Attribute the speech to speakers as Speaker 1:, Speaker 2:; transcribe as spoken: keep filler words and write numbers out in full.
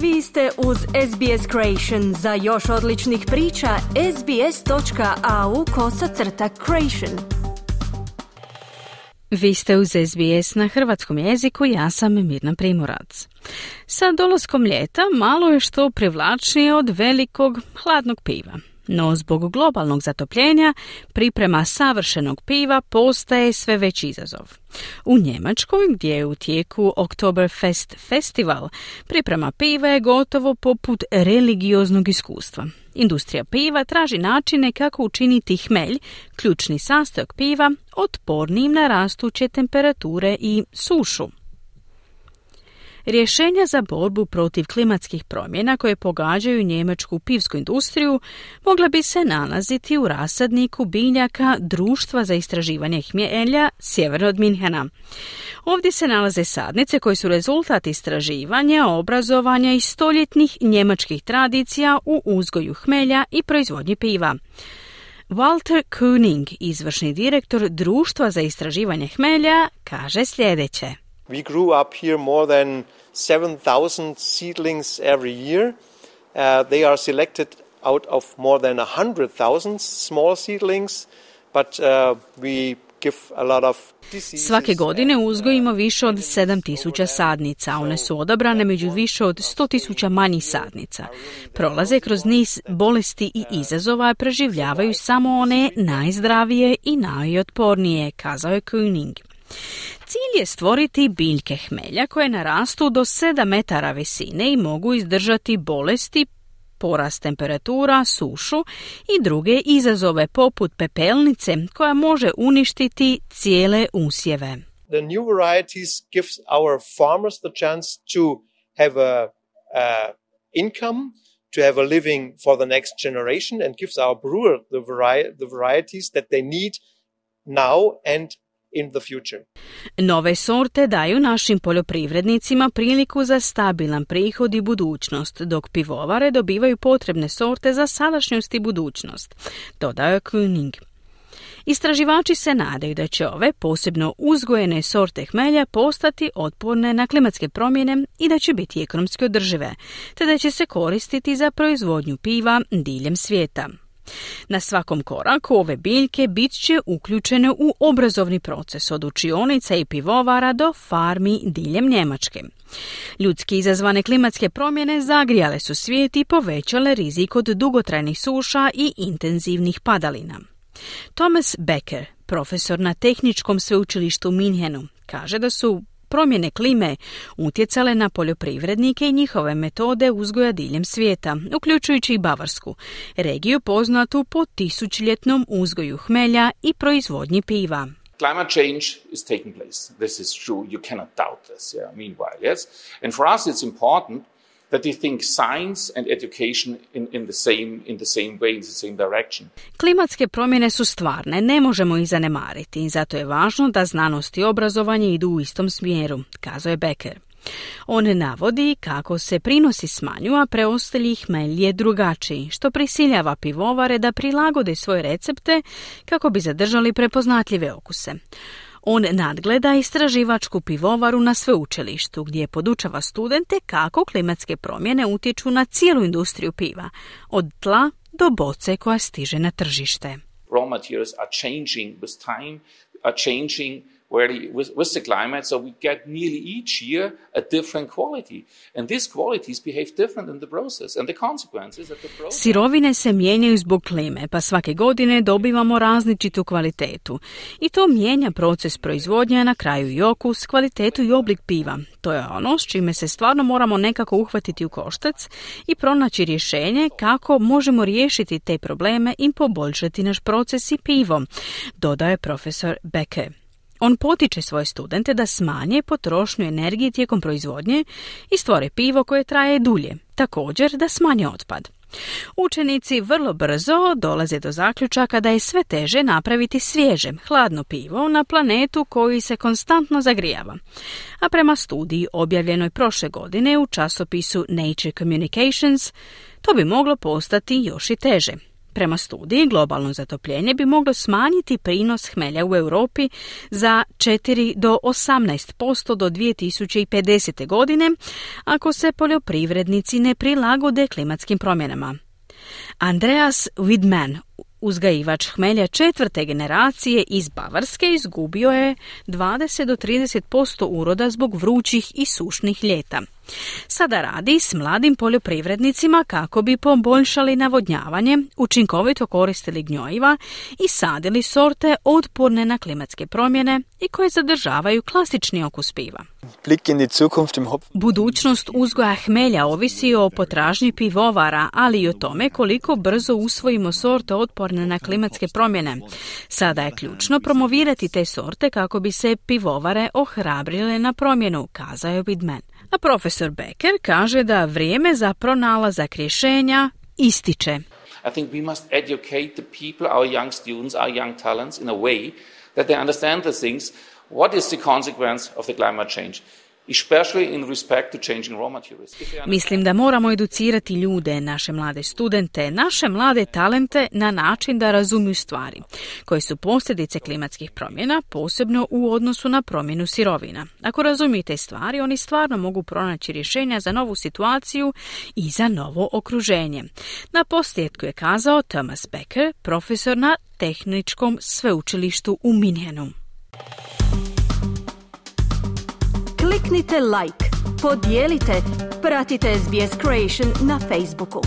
Speaker 1: Vi ste uz S B S Creation. Za još odličnih priča, sbs.au kosacrta creation. Vi ste uz S B S na hrvatskom jeziku, ja sam Mirna Primorac. Sa dolaskom ljeta malo je što privlačnije od velikog hladnog piva. No zbog globalnog zatopljenja priprema savršenog piva postaje sve veći izazov. U Njemačkoj, gdje je u tijeku Oktoberfest festival, priprema piva je gotovo poput religioznog iskustva. Industrija piva traži načine kako učiniti hmelj, ključni sastojak piva, otpornijim na rastuće temperature i sušu. Rješenja za borbu protiv klimatskih promjena koje pogađaju njemačku pivsku industriju mogla bi se nalaziti u rasadniku biljaka Društva za istraživanje hmelja sjeverno od Minhena. Ovdje se nalaze sadnice koje su rezultat istraživanja, obrazovanja i stoljetnih njemačkih tradicija u uzgoju hmelja i proizvodnji piva. Walter Koenig, izvršni direktor Društva za istraživanje hmelja, kaže sljedeće.
Speaker 2: We grew up here more than seven thousand seedlings every year. Uh, they are selected out of more than one hundred thousand small seedlings, but uh, we give a lot of diseases.
Speaker 1: Svake godine uzgojimo više od sedam tisuća sadnica. One su odabrane među više od sto tisuća manjih sadnica. Prolaze kroz niz bolesti i izazova, preživljavaju samo one najzdravije i najotpornije, kazao je Koenig. Cilj je stvoriti biljke hmelja koje narastu do sedam metara visine i mogu izdržati bolesti, porast temperatura, sušu i druge izazove poput pepelnice koja može uništiti cijele usjeve.
Speaker 2: The new varieties gives our farmers the chance to have a, a income, to have a living for the next generation, and gives our brewer the, vari- the varieties that they need now and in the future.
Speaker 1: Nove sorte daju našim poljoprivrednicima priliku za stabilan prihod i budućnost, dok pivovare dobivaju potrebne sorte za sadašnjost i budućnost, dodao je Koenig. Istraživači se nadaju da će ove posebno uzgojene sorte hmelja postati otporne na klimatske promjene i da će biti ekonomski održive, te da će se koristiti za proizvodnju piva diljem svijeta. Na svakom koraku ove biljke bit će uključene u obrazovni proces od učionica i pivovara do farmi diljem Njemačke. Ljudski izazvane klimatske promjene zagrijale su svijet i povećale rizik od dugotrajnih suša i intenzivnih padalina. Thomas Becker, profesor na Tehničkom sveučilištu u Minhenu, kaže da su promjene klime utjecale na poljoprivrednike i njihove metode uzgoja diljem svijeta, uključujući i Bavarsku, regiju poznatu po tisućljetnom uzgoju hmelja i proizvodnji piva.
Speaker 3: Climate change is taking place. This is true. You cannot doubt this. Yeah. Meanwhile, yes. And for us, it's important that we think science and education in, in the same in the same way, in the same direction.
Speaker 1: Klimatske promjene su stvarne, ne možemo ih zanemariti i zato je važno da znanost i obrazovanje idu u istom smjeru, kazao je Becker. On navodi kako se prinosi smanjuju, a preostali hmelj je drugačiji, što prisiljava pivovare da prilagode svoje recepte kako bi zadržali prepoznatljive okuse. On nadgleda istraživačku pivovaru na sveučilištu, gdje podučava studente kako klimatske promjene utječu na cijelu industriju piva, od tla do boce koja stiže na tržište.
Speaker 3: Raw materials are changing with time, are changing Where with, with the climate, so we get nearly each year a different quality. And these qualities behave different in the process. And the consequence is that the process...
Speaker 1: Sirovine se mijenjaju zbog klime, pa svake godine dobivamo različitu kvalitetu. I to mijenja proces proizvodnje, na kraju i okus, kvalitetu i oblik piva. To je ono s čime se stvarno moramo nekako uhvatiti u koštac i pronaći rješenje kako možemo riješiti te probleme i poboljšati naš proces i pivo, dodaje profesor Becker. On potiče svoje studente da smanje potrošnju energije tijekom proizvodnje i stvore pivo koje traje dulje, također da smanje otpad. Učenici vrlo brzo dolaze do zaključaka da je sve teže napraviti svježe, hladno pivo na planetu koji se konstantno zagrijava. A prema studiji objavljenoj prošle godine u časopisu Nature Communications, to bi moglo postati još i teže. Prema studiji, globalno zatopljenje bi moglo smanjiti prinos hmelja u Europi za četiri do osamnaest posto do dvije tisuće pedesete. godine, ako se poljoprivrednici ne prilagode klimatskim promjenama. Andreas Widman, uzgajivač hmelja četvrte generacije iz Bavarske, izgubio je dvadeset do trideset posto uroda zbog vrućih i sušnih ljeta. Sada radi s mladim poljoprivrednicima kako bi poboljšali navodnjavanje, učinkovito koristili gnjojiva i sadili sorte otporne na klimatske promjene i koje zadržavaju klasični okus piva. Budućnost uzgoja hmelja ovisi o potražnji pivovara, ali i o tome koliko brzo usvojimo sorte otporne na klimatske promjene. Sada je ključno promovirati te sorte kako bi se pivovare ohrabrile na promjenu, kazao je Widman. A profesor Becker kaže da vrijeme za pronalazak rješenja ističe.
Speaker 3: I think we must educate the people, our young students, our young talents in a way that they understand the things. What is the consequence of the climate change? Especially in respect to changing raw materials.
Speaker 1: Mislim da moramo educirati ljude, naše mlade studente, naše mlade talente na način da razumiju stvari, koje su posljedice klimatskih promjena, posebno u odnosu na promjenu sirovina. Ako razumijete stvari, oni stvarno mogu pronaći rješenja za novu situaciju i za novo okruženje. Na posljedku je kazao Thomas Becker, profesor na Tehničkom sveučilištu u Minhenu.
Speaker 4: Kliknite like, podijelite, pratite S B S Creation na Facebooku.